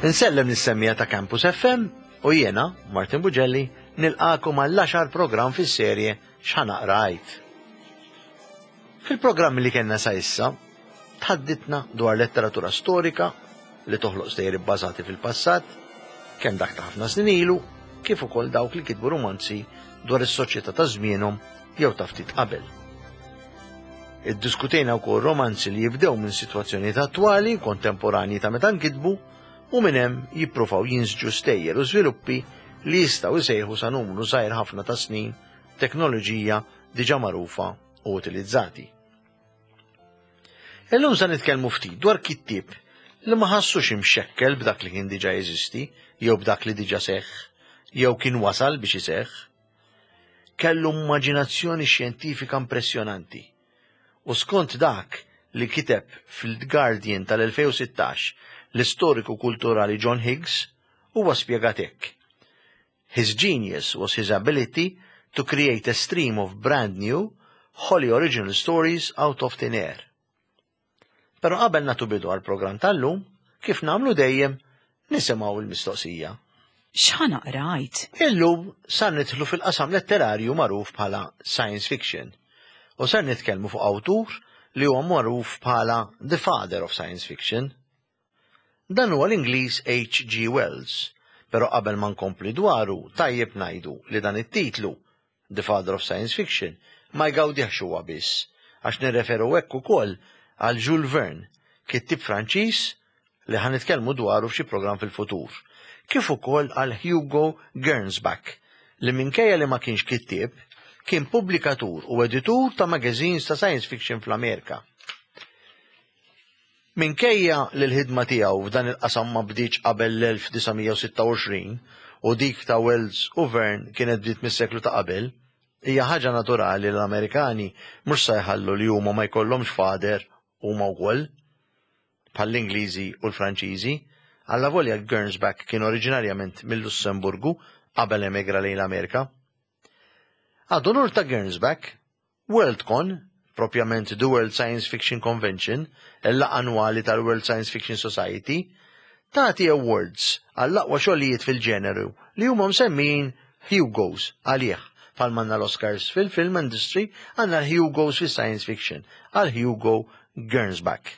Insellem lis-semmiegħa ta' Campus FM u jiena, Martin Bugelli, nilqakom għall-għaxar programm fis-serje X'ħa naqra għid. Fil-programmi li kellna sa issa, tħadditna dwar letteratura storika li toħloq stejjer ibbażati fil-passat, kemm dak ta' ħafna snin ilu, kif ukoll dawk li kitbu rumanzi dwar is-soċjetà ta' żmienhom jew ta' ftit qabel. Iddiskutejna wkoll romanzi li jibdew minn sitwazzjonijiet attwali, kontemporanji ta' meta nkitbu, u minn hemm jippruvaw jinsġu stejjer u żviluppi li jistgħu jsejħu sa numru żgħir ħafna ta' snin teknoloġija diġà magħrufa u utilizzati. Illum se nitkellmu ftit dwar kittieb li ma ħassux imxekkel b'dak li kien diġà jeżisti jew b'dak li diġà seħħ jew kien wasal biex iseħħ. Kellu immaġinazzjoni xjentifika impressjonanti u skont dak li kiteb fil-Guardian tal-2016 l-istoriku kulturali John Higgs, huwa spjegat hekk. His genius was his ability to create a stream of brand new, wholly original stories out of thin air. Però qabel nagħtu bidu għall-programm tal-lum, kif nagħmlu dejjem, nisimgħu l-mistoqsija. X'ħa naqra għid? Illum sar nidħlu fil-qasam letterarju magħruf bħala science fiction u ser nitkellmu fuq awtur li huwa magħruf bħala the father of science fiction. Dan huwa l-Ingliż HG. Wells, però qabel ma nkompli dwaru tajjeb ngħidu li dan it-titlu, The Father of Science Fiction, ma jgawdihx huwa biss, għax nirreferu hekk ukoll għal Jules Verne, kittieb Franċiż li ħa nitkellmu dwaru f'xi programm fil-futur, kif ukoll għal Hugo Gernsback li minkejja li ma kienx kittieb, kien pubblikatur u editur ta' magazines ta' science fiction fl-Amerika. Minkejja li l-ħidma tiegħu f'dan il-qasam ma bdietx qabel l-1926 u dik ta' Wells u Verne kienet bdiet mis-seklu ta' qabel, hija ħaġa naturali li l-Amerikani mhux sa jħallu li huma ma jkollhomx father huma wkoll, bħall-Ingliżi u l-Franċiżi, allavolja Gernsback kien oriġinarjament mil-Lussemburgu qabel emigra lejn l-Amerika. Ad unur ta' Gernsback, Worldcon, propjament The World Science Fiction Convention, il-laqgħa annwali tal-World Science Fiction Society, tagħti awards għall-aqwa xogħlijiet fil-ġeneru li huma msemmijin Hugos għalih. Bħalma għandna l-Oscars fil-film industry, għandna l-Hugos fis-science fiction għal Hugo Gernsback.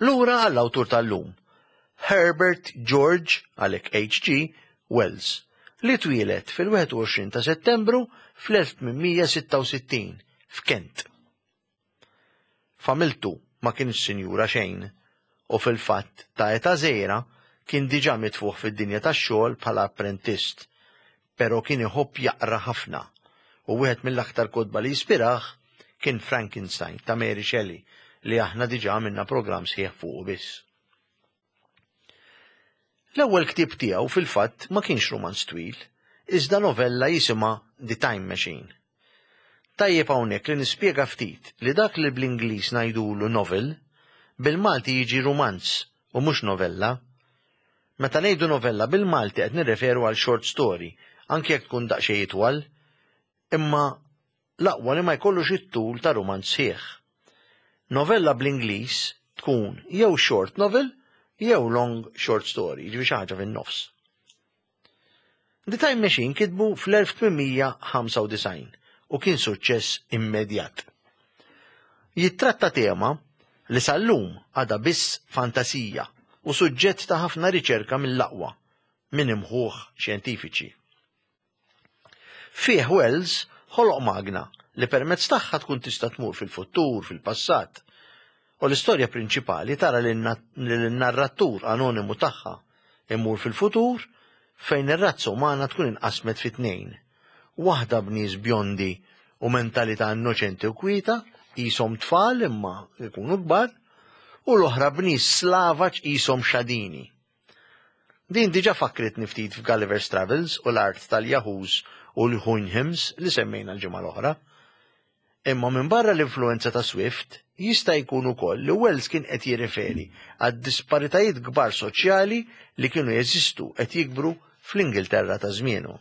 Lura għall-awtur tal-lum, Herbert George, għalhekk HG, Wells, li twieled fil-21 ta' Settembru fl-1866 f'Kent. Familtu ma kienx sinjura xejn u fil-fatt ta' età żgħira kien diġà mitfugħ fid-dinja tax-xogħol bħala apprentist, però kien iħobb jaqra ħafna u wieħed mill-aktar kotba li jispirah kien Frankenstein ta' Mary Shelley li aħna diġà għamilna programm sħiħ fuqu biss. L-ewwel ktieb tiegħu fil-fatt ma kienx rumanz twil, iżda novella jisimha The Time Machine. Tajjeb hawnhekk li nispjega ftit li dak li bl-Ingliż ngħidulu novel, bil-Malti jiġi rumanz u mhux novella. Meta ngħidu novella bil-Malti qed nirreferu għal short story, anki jekk tkun daqsxejn itwal, imma l-aqwa li ma jkollux it-tul ta' rumanz sħiħ. Novella bl-Ingliż tkun jew short novel jew long short story, jiġifieri xi ħaġa fin-nofs. The Time Machine kitbu fl-1895 u kien suċċess immedjat. Jittratta tema li sal-lum għadha biss fantasija u suġġett ta' ħafna riċerka mill-aqwa minn imħuħ xjentifiċi. Fih Wells ħoloq magna li permezz tagħha tkun tista' tmur fil-futur, fil-passat. U l-istorja prinċipali tara lin-narratur anonimu tagħha imur fil-futur fejn ir-razza umana tkun inqasmet fi tnejn. Waħda b'nies bjondi u mentalità innoċenti u kwieta, qishom tfal imma jkunu kbar, u l-oħra b'nies slavaġ qishom xadini. Din diġà fakkritni ftit f'Gulliver's Travels u l-art tal-Yahoos u l-Houyhnhnms li semmejna l-ġimgħa l-oħra. Imma minbarra l-influwenza ta' Swift, jista' jkun ukoll li Wells kien qed jirriferi għad-disparitajiet kbar soċjali li kienu jeżistu qed jikbru fl-Ingilterra ta' żmienu.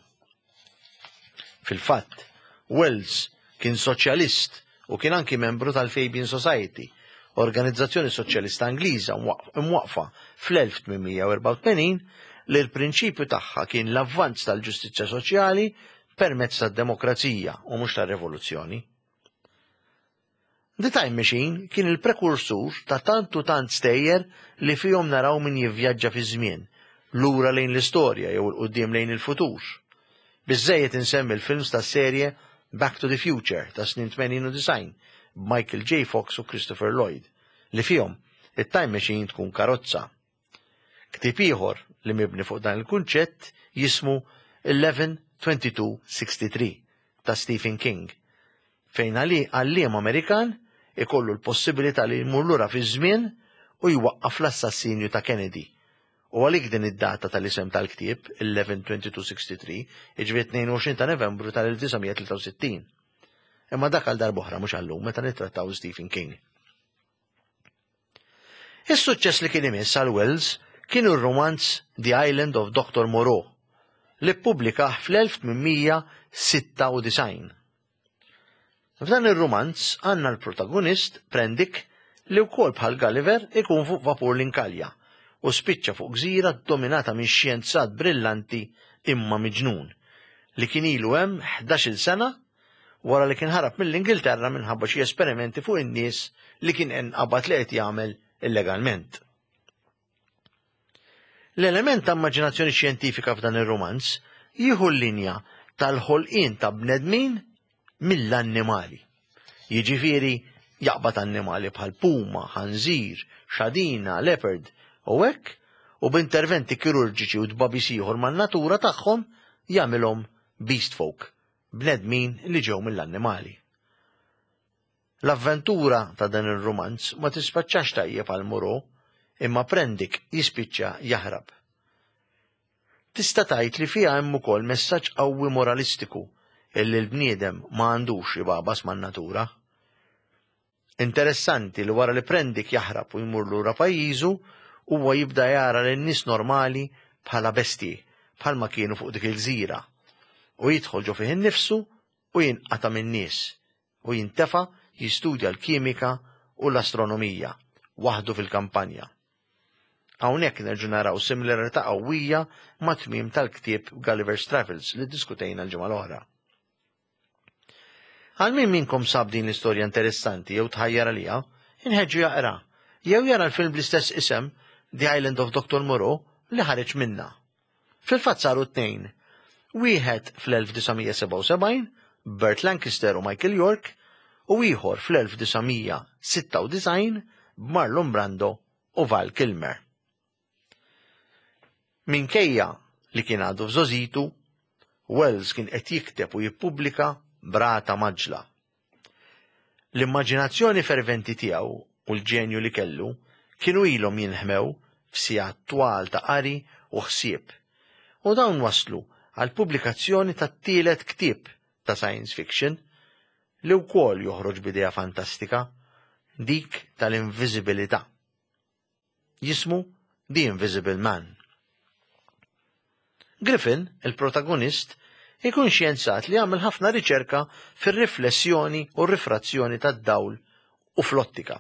Fil-fatt, Wells kien soċjalist u kien anki membru tal-Fabian Society. organizzazzjoni soċjalista Ingliża mwaqqfa fl-1884 li l-prinċipju tagħha kien l-avvanz tal-ġustizzja soċjali permezz tad-demokrazija u mhux tar-rivoluzzjoni. The Time Machine kien il-prekursur ta' tant u tant stejjer li fihom naraw min jivvjaġġa fiż-żmien, lura lejn l-istorja jew 'il quddiem lejn il-futur. Biżżejjed insemmi l-films tas-serje Back to the Future tas-snin 80 u 90 b'Michael J. Fox u Christopher Lloyd, li fihom it-time machine tkun karozza. Ktieb ieħor li mibni fuq dan il-kunċett jismu 11/22/63 ta' Stephen King, fejn għalliem Amerikan ikollu l-possibilità li jmur lura fiż-żmien u jwaqqaf l-assassinju ta' Kennedy. U għalik din id-data tal-isem tal-ktieb, 11/22/63, jiġifieri 22 ta' Novembru tal-1963. Imma dak għal darb'oħra mhux għallum meta nittrattaw Stephen King. Is-suċċess li kien imiss għal Wells kien ir-rumanz The Island of Doctor Moreau li ppubblikah fl-1896. F'dan ir-rumanz għandna l-protagonist Prendick li wkoll bħal Gulliver ikun fuq vapur l-inkalja u spiċċa fuq gżira ddominata minn xjenzat brillanti imma miġnun li kien ilu hemm 11-il sena wara li kien ħarab mill-Ingilterra minħabba xi esperimenti fuq in-nies li kien inqabad li qed jagħmel illegalment. L-element ta' immaġinazzjoni xjentifika f'dan ir-rumanz jieħu l-linja tal-ħolqien ta' bnedmin mill-annimali. Jiġifieri jaqbad annimali bħal puma, ħanżir, xadina, leopard u hekk u b'interventi kirurġiċi u tbagħbis ieħor man-natura tagħhom jagħmilhom beast folk, bnedmin li ġew mill-annimali. L-avventura ta' dan ir-rumanz ma tisfaċċax tajjeb għal Moreau, imma Prendick jispiċċa jaħrab. Tista' tgħid li fiha hemm ukoll messaġġ qawwi moralistiku illi l-bniedem ma għandux ibagħbas man-natura. Interessanti li wara li Prendick jaħrab u jmur lura pajjiżu, huwa jibda jara lin-nies normali bħala bestji, bħalma kienu fuq dik il-gżira. U jidħol ġo fih innifsu u jinqata' min-nies u jintefa' jistudja l-kimika u l-astronomija waħdu fil-kampanja. Hawnhekk nerġgħu naraw similarità qawwija mat-tmiem tal-ktieb Gulliver's Travels li ddiskutejna l-ġimgħa l-oħra. Għal min minnkom sab din l-istorja interessanti jew tħajjar għaliha, inħeġġu jaqra jew jara l-film bl-istess isem The Island of Dr. Moreau li ħareġ minnha. Fil-fatt saru tnejn. Wieħed fl-1977 b'Burt Lancaster u Michael York u ieħor fl-1996 b'Marlon Brando u Val Kilmer. Minkejja li kien għadu f'żgħożitu, Wells kien qed jikteb u jippubblika b'rata mgħaġġla. L-immaġinazzjoni ferventi tiegħu u l-ġenju li kellu kienu ilhom jinħmew f'sigħat twal ta' qari u ħsieb, u dawn wasslu għall-pubblikazzjoni tat-tielet ktieb ta' science fiction li wkoll joħroġ b'idea fantastika, dik tal-inviżibilità. Jismu The Invisible Man. Griffin, il-protagonist, ikun xjenzat li għamel ħafna riċerka fir-riflessjoni u r-rifrazzjoni tad-dawl u fl-ottika.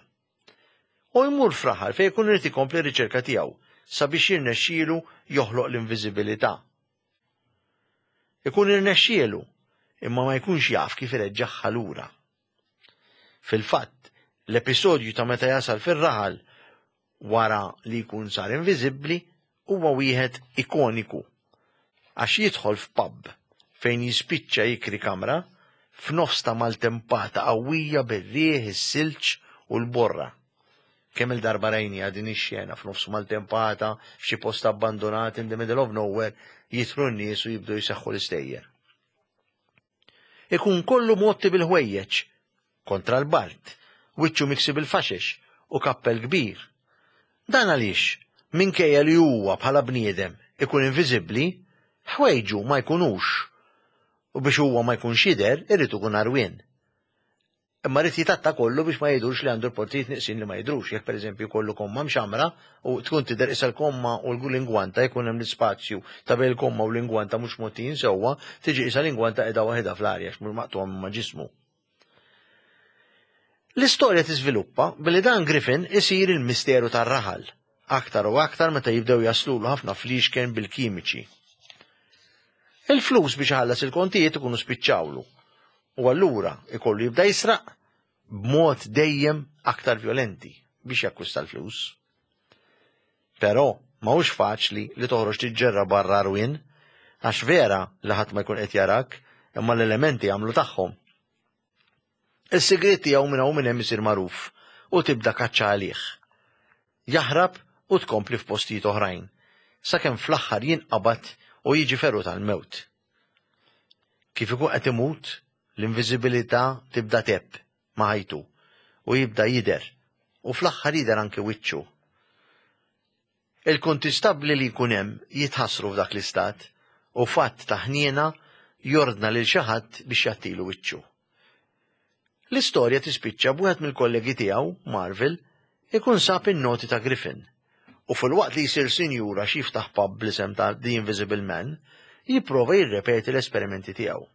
U jmur f'raħal fejn ikun irid ikompli r-riċerka tiegħu sabiex jirnexxielu joħloq l-inviżibilità. Ikun irnexxielu, imma ma jkunx jaf kif ireġġagħha lura. Fil-fatt, l-episodju ta' meta jasal fir-raħal wara li jkun sar inviżibbli huwa wieħed ikoniku għax jidħol f'pub fejn jispiċċa jikri kamra f'nofs ta' maltempata qawwija bir-riħ, is-silġ u l-borra. Kemm-il darba rajniha din ix-xena f'nofs maltempata f'xi post abbandunat in the middle of nowhere jidħlu n-nies u jibdew jseħħu l-istejjer. Ikun kollu mgħotti bil-ħwejjeġ, kontra l-bard, wiċċu miksi bil-faxex u kappell kbir. Dan għaliex, minkejja li huwa bħala bniedem ikun inviżibbli, ħwejġu ma jkunux. U biex huwa ma jkunx jidher, irid ikun għarwien. Imma rrid jitatta kollu biex ma jidhurx li għandu l-portijiet nieqsin li ma jidhrux. Jekk pereżempju jkollu komma mxammra u tkun tidher qisha l-komma u l-ingwanta jkun hemm l-ispazju ta' bejn il-komma u l-ingwanta mhux mgħottijin sewwa, tiġi qisha l-ingwanta qiegħda waħedha fl-arja għax mhux maqtugħa minn ma' ġismu. L-istorja tiżviluppa billi dan Griffin isir il-misteru tar-raħal, aktar u aktar meta jibdew jaslulu ħafna fliexken bil-kimiċi. Il-flus biex iħallas il-kontijiet ikunu spiċċawlu u allura ikollu jibda jisraq b'mod dejjem aktar vjolenti biex jakkwista l-flus. Però ma hux faċli li toħroġ tiġġerra barra għarwien għax vera li ħadd ma jkun qed jarak imma l-elementi jagħmlu tagħhom. Is-sigriet tiegħu minn hawn minn hemm isir magħruf u tibda kaċċa għalih. Jaħrab u tkompli f'postijiet oħrajn, sakemm fl-aħħar jinqabad u jiġi ferut għall-mewt. Kif ikun qed imut, l-inviżibilità tibda tgħebb ma' ħajtu u jibda jidher u fl-aħħar jidher anki wiċċu. Il-kuntistabbli li jkun hemm jitħassru f'dak l-istat u f'att ta' ħniena jordna lil xi ħadd biex jgħattilu wiċċu. L-istorja tispiċċa b'wieħed mill-kollegi tiegħu, Marvil, ikun sab in-noti ta' Griffin u filwaqt li jsir sinjur għax jiftaħ pub bl-isem ta' The Invisible Man, jipprova jirrepeti l-esperimenti tiegħu.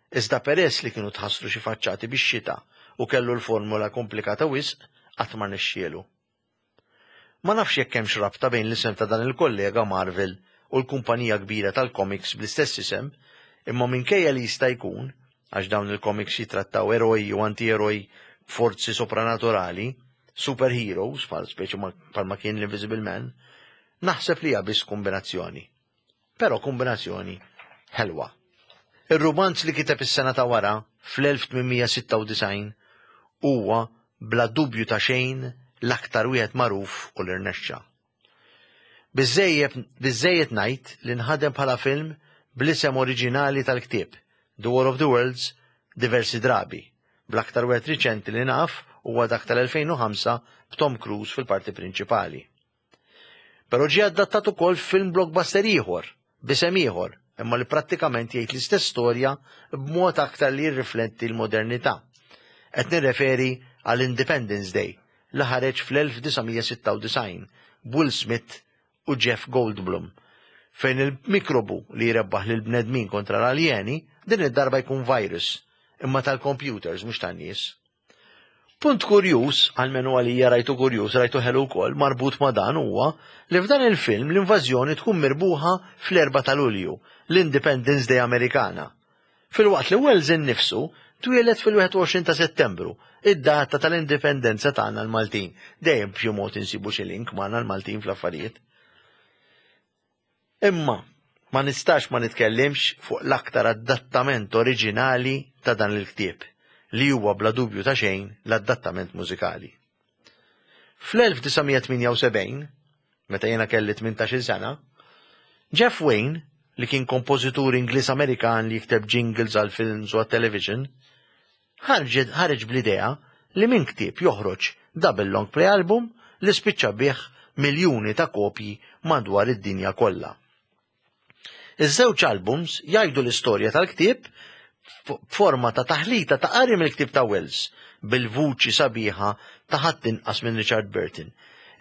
Iżda peress li kienu tħassru xi faċċati bix-xita u kellu l-formula komplikata wisq, qatt ma rnexxielu. Ma nafx jekk hemmx rabta bejn l-isem ta' dan il-kollega Marvel u l-kumpanija kbira tal-komiks bl-istess isem, imma minkejja li jista' jkun, għax dawn il-komiks jitrattaw eroj u anti-eroj b'forzi sopranaturali, superheroes, bħal speċi bħalma kien l-Invisible Man, naħseb li hija biss kombinazzjoni. Però kombinazzjoni ħelwa. Ir-rumanz li kiteb is-sena ta' wara, fl-1896, huwa bla dubju ta' xejn l-aktar wieħed magħruf u li rnexxa. Biżżejjed ngħid li nħadem bħala film bl-isem oriġinali tal-ktieb, The War of the Worlds, diversi drabi, bl-aktar wieħed riċenti li naf huwa dak tal-2005 b'Tom Cruise fil-parti prinċipali. Però ġie adattat ukoll f'film blockbuster ieħor, b'isem ieħor, imma li prattikament jgħid l-istess storja b'mod aktar li jirrifletti l-modernità. Qed nirreferi għal Independence Day li ħareġ fl-1996 b'Will Smith u Jeff Goldblum, fejn il-mikrobu li jrebbaħ lill-bnedmin kontra l-aljeni din id-darba jkun virus, imma tal-computers mhux tan-nies. Punt kurjuż, almenu għalija rajtu kurjuż, rajtu ħelu wkoll, marbut ma' dan huwa li f'dan il-film l-invażjoni tkun mirbuħa fl-4 ta' Lulju, l-Independence Day Amerikana. Filwaqt li Wells innifsu twieled fil-21 ta' Settembru, id-data tal-indipendenza tagħna l-Maltin. Dejjem b'xi mod insibu xi link magħna l-Maltin fl-affarijiet. Imma ma nistax ma nitkellimx fuq l-aktar adattament oriġinali ta' dan il-ktieb, li huwa bla dubju ta' xejn l-adattament mużikali. Fl-1978, meta jiena kelli 18-il sena, Jeff Wayne, li kien kompożitur Ingliż-Amerikan li jikteb jingles għal films u għat-television, ħareġ bl-idea li minn ktieb joħroġ double long play album li spiċċa biegħ miljuni ta' kopji madwar id-dinja kollha. Iż-żewġ albums jgħidu l-istorja tal-ktieb b'forma ta' taħlita ta' qari mill-ktieb ta' Wells bil-vuċi sabiħa ta' ħadd inqas minn Richard Burton,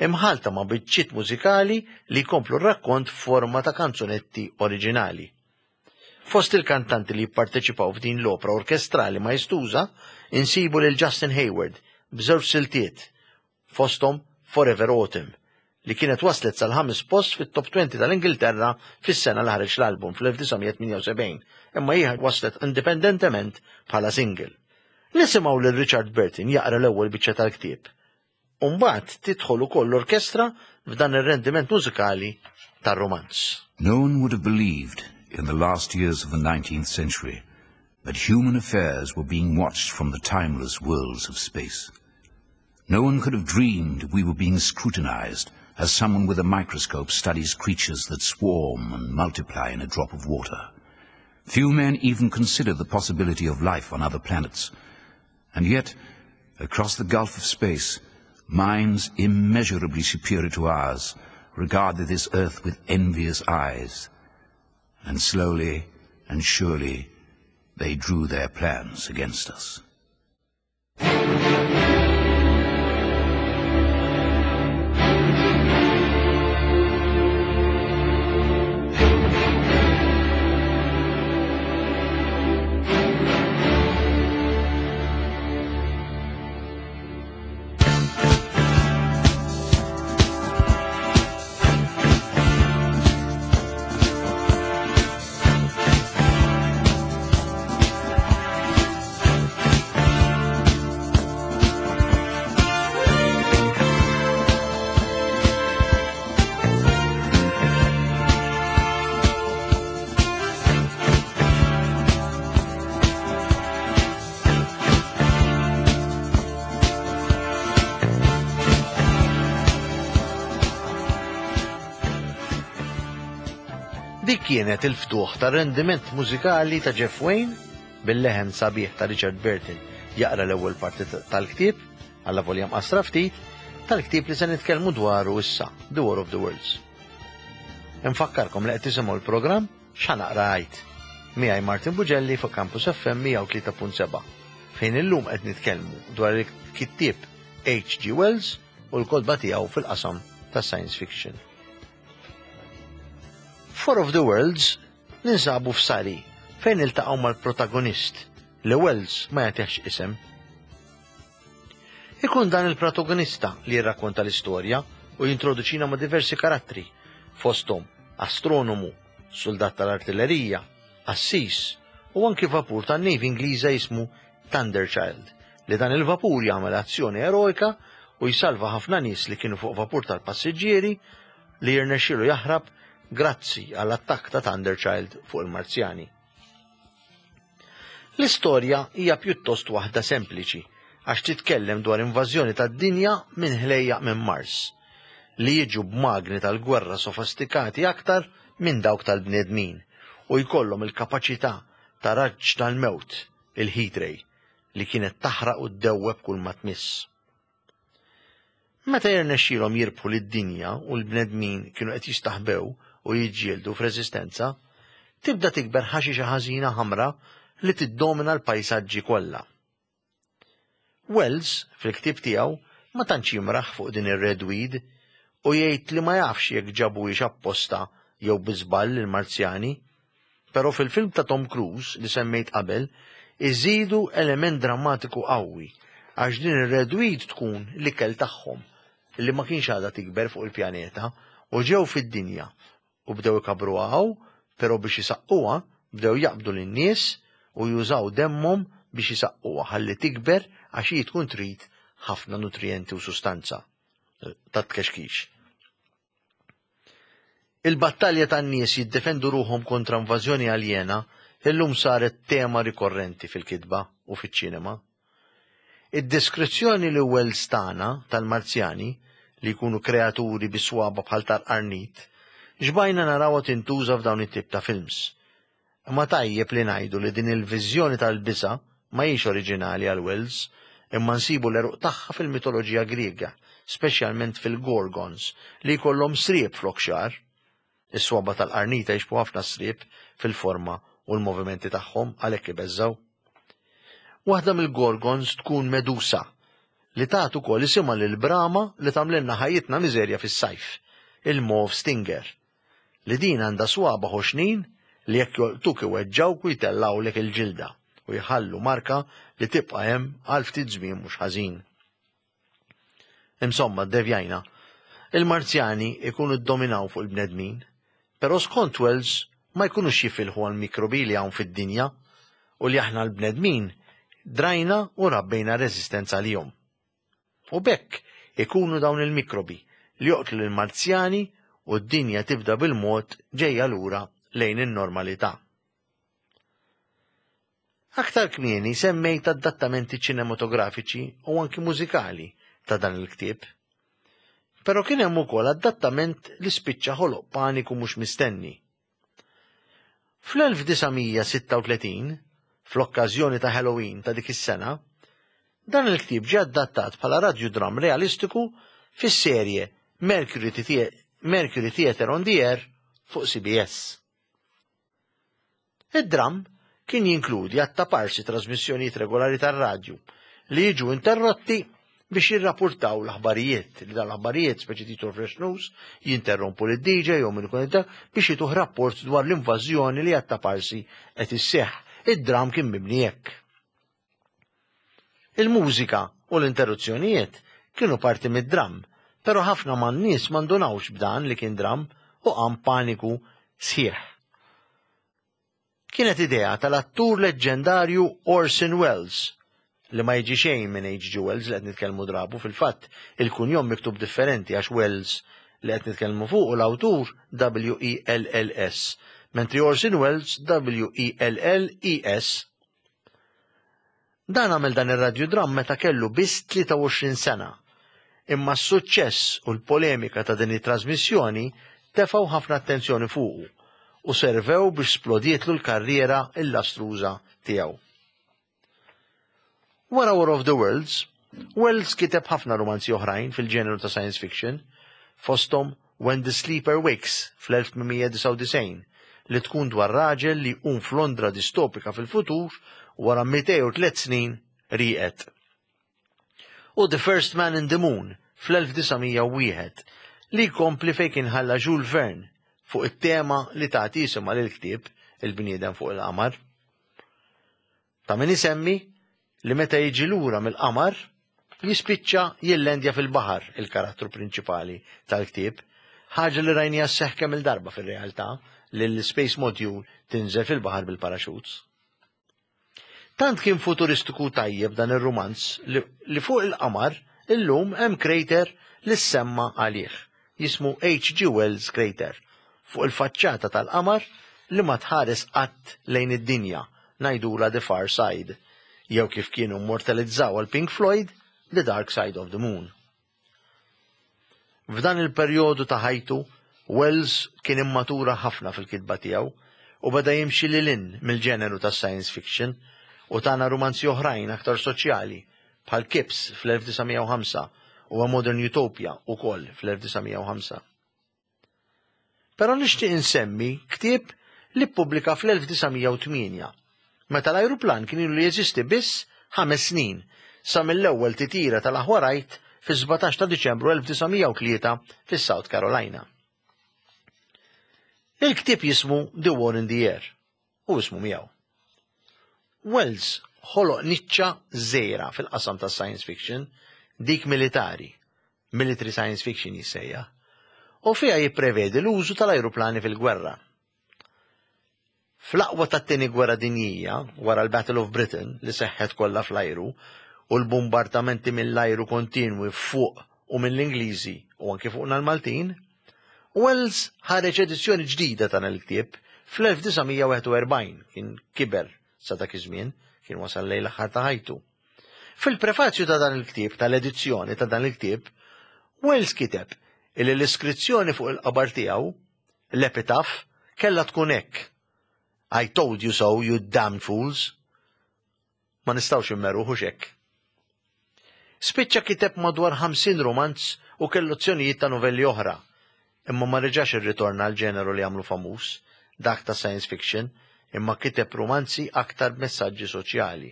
imħallta ma' biċċiet mużikali li jkomplu r-rakkont f'forma ta' kanzunetti oriġinali. Fost il-kantanti li jipparteċipaw f'din l-opra orkestrali maestuża insibu lil Justin Hayward b'żewġ siltiet, fosthom Forever Autumn, li kienet waslet sal-ħames post fit-Top 20 tal-Ingilterra fis-sena li ħareġ l-album fl-1978, imma hi waslet indipendentement bħala single. Nisimgħu lil Richard Burton jaqra l-ewwel biċċa tal-ktieb U mbagħad tidħol ukoll l-orkestra f'dan ir-rendiment mużikali tar-rumanz. No one would have believed in the last years of the 19th century that human affairs were being watched from the timeless worlds of space. No one could have dreamed we were being scrutinized as someone with a microscope studies creatures that swarm and multiply in a drop of water. Few men even consider the possibility of life on other planets. And yet, across the gulf of space, minds immeasurably superior to ours regarded this earth with envious eyes. And slowly and surely they drew their plans against us. Dik kienet il-ftuħ tar-rendiment mużikali ta' Jeff Wayne bil-leħen sabiħ ta' Richard Burton jaqra l-ewwel parti tal-ktieb, allavolja mqassra ftit, tal-ktieb li se nitkellmu dwaru issa, The War of the Worlds. Infakkarkom li qed tisimgħu l-programm X'Ħa Naqra Għid? Miegħi Martin Bugelli fuq Campus FM 103.7 fejn illum qed nitkellmu dwar il-kittieb H.G. Wells u l-kotba tiegħu fil-qasam tas-science fiction. F'War of the Worlds ninsabu f'Surrey fejn niltaqgħu mal-protagonist li Wells ma jagħtihx isem. Ikun dan il-protagonista li jirrakkonta l-istorja u jintroduċina ma' diversi karattri, fosthom astronomu, suldat tal-artillerija, qassis u anki vapur tan-Navy Ingliża jismu Thunderchild, li dan il-vapur jagħmel azzjoni eroika u jsalva ħafna nies li kienu fuq vapur tal-passiġġieri li jirnexxielu jaħrab grazzi għall-attakk ta' Thunderchild fuq il-Marzjani. L-istorja hija pjuttost waħda sempliċi għax titkellem dwar invażjoni tad-dinja minn ħlejjaq minn Mars, li jiġu b'magni tal-gwerra sofistikati aktar minn dawk tal-bnedmin u jkollhom il-kapaċità ta' raġġ tal-mewt, il-heat ray, li kienet taħraq u ddewweb kull ma tmiss. Meta jirnexxielhom jirbħu lid-dinja u l-bnedmin kienu qed jistaħbew u jiġġieldu f'reżistenza, tibda tikber ħaxixa ħażina ħamra li tiddomina l-pajsaġġi kollha. Wells, fil-ktieb tiegħu, ma tantx jimraħ fuq din ir-red weed u jgħid li ma jafx jekk ġabuhiex apposta jew bi żball il-Marzjani. Però fil-film ta' Tom Cruise li semmejt qabel iżidu element drammatiku qawwi għax din ir-red weed tkun l-ikel tagħhom li ma kienx għadha tikber fuq il-pjaneta u ġew fid-dinja u bdew ikabbruha hawn però biex isaqquha bdew jaqbdu lin-nies u jużaw demmhom biex isaqquha ħalli tikber għax hi tkun trid ħafna nutrijenti u sustanza tat-tkexkix. Il-battalja tan-nies jiddefendu ruħhom kontra invażjoni aljena illum saret tema rikorrenti fil-kitba u fiċ-ċinema. Id-deskrizzjoni li Wells tana tal-Marzjani, li jkunu kreaturi bi swaba bħal tal-qarnit, xbajna narawha tintuża f'dawn it-tip ta' films. Imma tajjeb li ngħidu li din il-viżjoni tal-biża' ma hijiex oriġinali għal Wells, imma nsibu l-għeruq tagħha fil-mitoloġija Griega, speċjalment fil-Gorgons, li jkollhom sriep flok xagħar. Is-swaba' tal-qarnita jixbhu ħafna s-sriep fil-forma u l-movimenti tagħhom, għalhekk ibeżżgħu. Waħda mill-Gorgons tkun Medusa, li tat ukoll isimha lill-brama li tagħmlilna ħajjitna miżerja fis-sajf, il-Mauve Stinger. li din għandha swaba' ħoxnin li jekk jolqtuk iweġġgħuk u jtellgħulek il-ġilda u jħallu marka li tibqa' hemm għal ftit żmien mhux ħażin. Insomma, ddevjajna. Il-Marzjani jkunu ddominaw fuq il-bnedmin, però skont Wells ma jkunux jifilħu għall-mikrobi li hawn fid-dinja u li aħna l-bnedmin drajna u rabbejna reżistenza għalihom. U b'hekk ikunu dawn il-mikrobi li joqtlu lill-Marzjani u d-dinja tibda bil-mod ġejja lura lejn in-normalità. Aktar kmieni semmejt adattamenti ċinematografiċi u anki mużikali ta' dan il-ktieb. Però kien hemm ukoll adattament li spiċċa ħoloq paniku mhux mistenni. Fl-1936, fl-okkażjoni ta' Halloween ta' dik is-sena, dan il-ktieb ġie adattat bħala radjudramm realistiku fis-serje Mercury, Mercury Theatre on the Air fuq CBS. Id-dramm kien jinkludi għat-taparsi trasmissjonijiet regolari tar-radju li jiġu interrotti biex jirrapurtaw l-aħbarijiet, li dan l-aħbarijiet, speċi titol Fresh News, jinterrompu lid DJ jew min ikun biex jituh rapport dwar l-invażjoni li għat-taparsi qed isseħħ. Id-dramm kien mibni hekk. Il-mużika u l-interruzzjonijiet kienu parti mid-dramm, però ħafna man-nies ma ndunawx b'dan li kien dramm u qam paniku sħiħ. Kienet idea tal-attur leġġendarju Orson Welles, li ma jiġi xejn minn H.G. Wells li qed nitkellmu drabu, fil-fatt il-kunjom miktub differenti għax Wells li qed nitkellmu fuqu l-awtur W-E-L-L-S, mentri Orson Welles W-E-L-L-E-S. Dan għamel dan ir-radjudramm meta kellu biss 23 sena. Imma s-suċċess u l-polemika ta' din it-trażmissjoni tefgħu ħafna attenzjoni fuqu. u servew biex splodietlu l-karriera illastruża tiegħu. Wara War of the Worlds, Wells kiteb ħafna rumanzi oħrajn fil-ġeneru ta' science fiction, fosthom When the Sleeper Wakes fl-1899, li tkun dwar raġel li jqum f'Londra distopika fil-futur wara 203 snin rieqed. U The First Man in the Moon fl-1901, li jkompli fejn kien ħalla Jules Verne fuq it-tema li tagħti isimha lill-ktieb Il-Bniedem fuq il-Qamar. Ta' min isemmi li meta jiġi lura mill-qamar, jispiċċa jillendja fil-baħar il-karattru prinċipali tal-ktieb, ħaġa li rajniha sseħħ kemm-il darba fir-realtà li l-Space Module tinżel fil-baħar bil-parachutes. Tant kien futuristiku tajjeb dan ir-rumanz li fuq il-qamar illum hemm crater li ssemma għalih, jismu H.G. Wells Crater, fuq il-faċċata tal-qamar li ma tħares qatt lejn id-dinja, ngħidulha The Far Side, jew kif kienu immortalizzawha l-Pink Floyd, The Dark Side of the Moon. F'dan il-perjodu ta' ħajtu, Wells kien immatura ħafna fil-kitba tiegħu u beda jimxi lil hinn mill-ġeneru tas-science fiction u tana rumanzi oħrajn aktar soċjali bħal Kipps fl-1905 u A Modern Utopia ukoll fl-1905. Però nixtieq insemmi ktieb li ppubblika fl-1908, meta l-ajruplan kien ilu li jeżisti biss ħames snin, sa mill-ewwel titjira tal-aħwa Wright fis-17 ta' Diċembru 1903 fis-South Carolina. Il-ktieb jismu The War in the Air u ismu miegħu. Wells ħoloq niċċa żgħira fil-qasam tas-science fiction, dik militari, military science fiction jissejjaħ, u fiha jipprevedi l-użu tal-ajruplani fil-gwerra. Fl-aqwa tat-Tieni Gwerra Dinjija, wara l-Battle of Britain li seħħet kollha fl-ajru u l-bumbardamenti mill-ajru kontinwi fuq u mill-Ingliżi u anki fuqna l-Maltin, Wells ħareġ edizzjoni ġdida ta' dan il-ktieb fl-1941, kien kiber sa dak iż-żmien, kien wasal lejn l-aħħar ta' ħajtu. Fil-prefazju ta' dan il-ktieb, tal-edizzjoni ta' dan il-ktieb, Wells kiteb illi l-iskrizzjoni fuq il-qabar tiegħu, l-epitaph, kellha tkun hekk, I told you so, you damned fools. Ma nistgħux immeruh hux hekk. Spiċċa kiteb madwar 50 rumanz u kellu azzjonijiet ta' novelli oħra, imma ma reġax irritorna għall-ġeneru li għamlu famuż, dak ta' science fiction, imma kiteb rumanzi aktar b'messaġġi soċjali.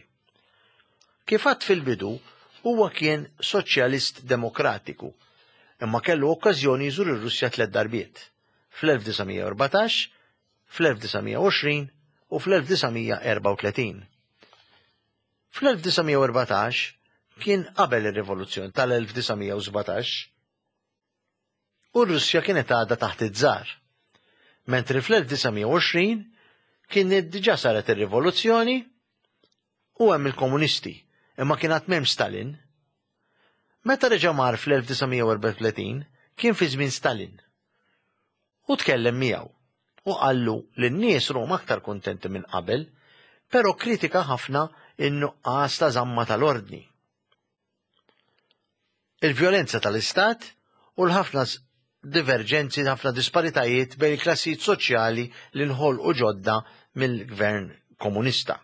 Kif għadt fil-bidu, huwa kien Soċjalist Demokratiku, imma kellu okkażjoni jżur ir-Russja tlett darbiet, fl-1914, fl-1920 u fl-1934. Fl-1914 kien qabel ir-Rivoluzzjoni tal-1917. U r-Russja kienet għadha taħt iż-Żar. Mentri fl-1920 kien diġà saret ir-rivoluzzjoni u hemm il-komunisti, imma kien għad m'hemmx Stalin. Meta reġa' mar fl-1934 kien fi żmien Stalin. U tkellem miegħu u qallu li n-nies rom aktar kuntenti minn qabel, però kkritika ħafna n-nuqqas ta' żamma tal-ordni. Il-vjolenza tal-Istat u l-ħafna diverġenzi, ħafna disparitajiet bejn il-klassijiet soċjali li nħolqu ġodda mill-gvern komunista.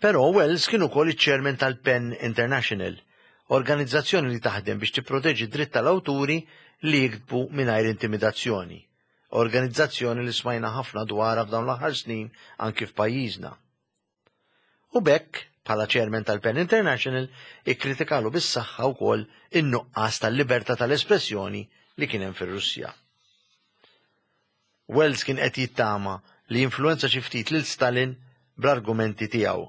Però Wells kien ukoll iċ-chairman tal-PEN International, organizzazzjoni li taħdem biex tipproteġi d-dritt tal-awturi li jiktbu mingħajr intimidazzjoni, organizzazzjoni li smajna ħafna dwarha f'dawn l-aħħar snin anki f'pajjiżna. U b'hekk, bħala chairman tal-PEN International, ikkritikalu bis-saħħa wkoll in-nuqqas tal-libertà tal-espressjoni li kien hemm fir-Russja. Wells kien qed jittama li jinfluwenza xi ftit lil Stalin bl-argumenti tiegħu.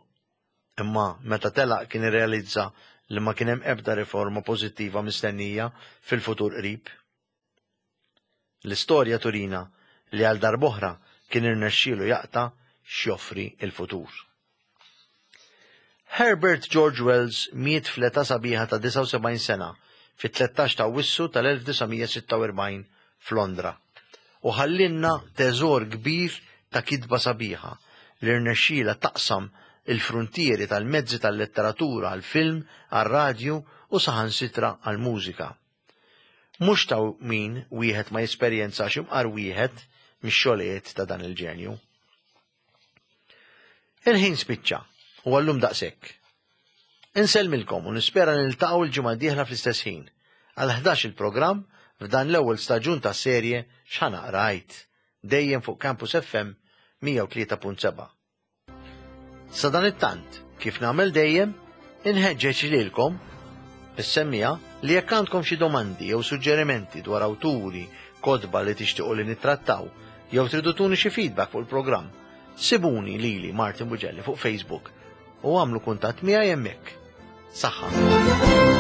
Imma meta telaq kien irrealizza li ma kien hemm ebda riforma pożittiva mistennija fil-futur qrib. L-istorja turina li għal darb'oħra kien irnexxielu jaqta' x'joffri l-futur. Herbert George Wells miet fl-età sabiħa ta' 79 sena fit-13 ta' Awwissu tal-1946 f'Londra u ħallielna teżor kbir ta' kitba sabiħa li rnexxielha taqsam il-fruntieri tal-mezzi tal-letteratura għall-film, għar-radju u saħansitra għall-mużika. Mhux ta' min wieħed ma jesperjenzax imqar wieħed mix-xogħlijiet ta' dan il-ġenju. Il-ħin spiċċa u għallum daqshekk. Insellmilkom u nispera niltaqgħu l-ġimgħa d-dieħla fl-istess ħin għal 11 il-programm f'dan l-ewwel staġun tas-serje X'Ħa Naqra Għid, dejjem fuq Campus FM 103.7. Sadanittant, kif nagħmel dejjem, inħeġġeġ lilkom, is-semmiegħa, li jekk għandkom xi domandi jew suġġerimenti dwar awturi, kotba li tixtiequ li nittrattaw, jew tridu tuni xi feedback fuq il-programm, sibuni lili Martin Bugelli fuq Facebook u għamlu kuntatt miegħi hemmhekk. Saħħa!